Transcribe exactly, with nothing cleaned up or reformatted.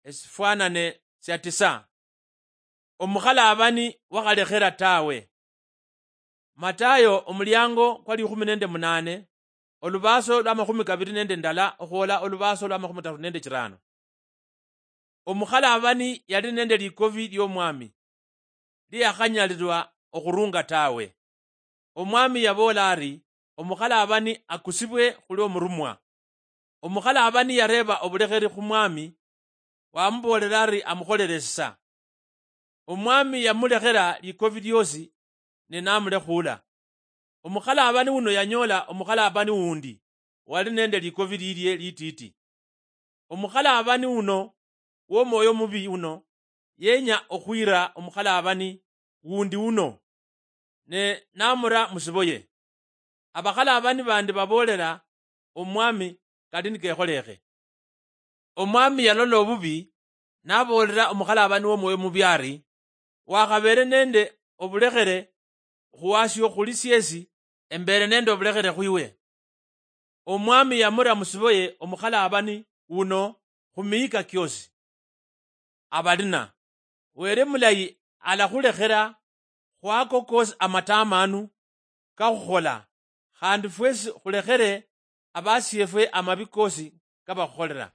Esifwanane sia tisa. Omukhalaabani wakhalekhera tawe. Matayo omuliango kwa likhumi nende munane, olubaaso lwa makhumi kabiri nende ndala okhwola olubaaso lwa makhumi tatu nende chirano. Omukhalaabani yali nende likovi liomwami, liakhanyalirwa okhurunga tawe. Omwami yaboola ari, "Omukhalaabani akusibwe khuli omurumwa." Omukhalaabani yareeba obulekheri khu mwami, wamuboolera ari amukholere esisa. Omwami yamulekhera likovi liosi, ne namulekhuula. Omukhalaabani uno yanyoola omukhalaabani wundi wali nende likovi lilie litiiti. Omukhalaabani uno womwoyo mubi uno yenya okhwira omukhalaabani wundi uno, ne namura musiboye. Abakhalaabani bandi baboolela omwami kali nikekholekhe. Omwami yalola obubi, naboolela omukhalaabani womwoyo mubi ari, "Wakhabeele nende obulekhere khuwasio khuli siesi embeele nende obulekhere khwiwe." Omwami yamura musiboye omukhalaabani wuno khumiyika kiosi. Abalina, Wele mulayi alakhulekhela khwako kosi amatamanu kakhukhola, khandi fwesi khulekhere abasiefwe amabi kosi kabakhukholela.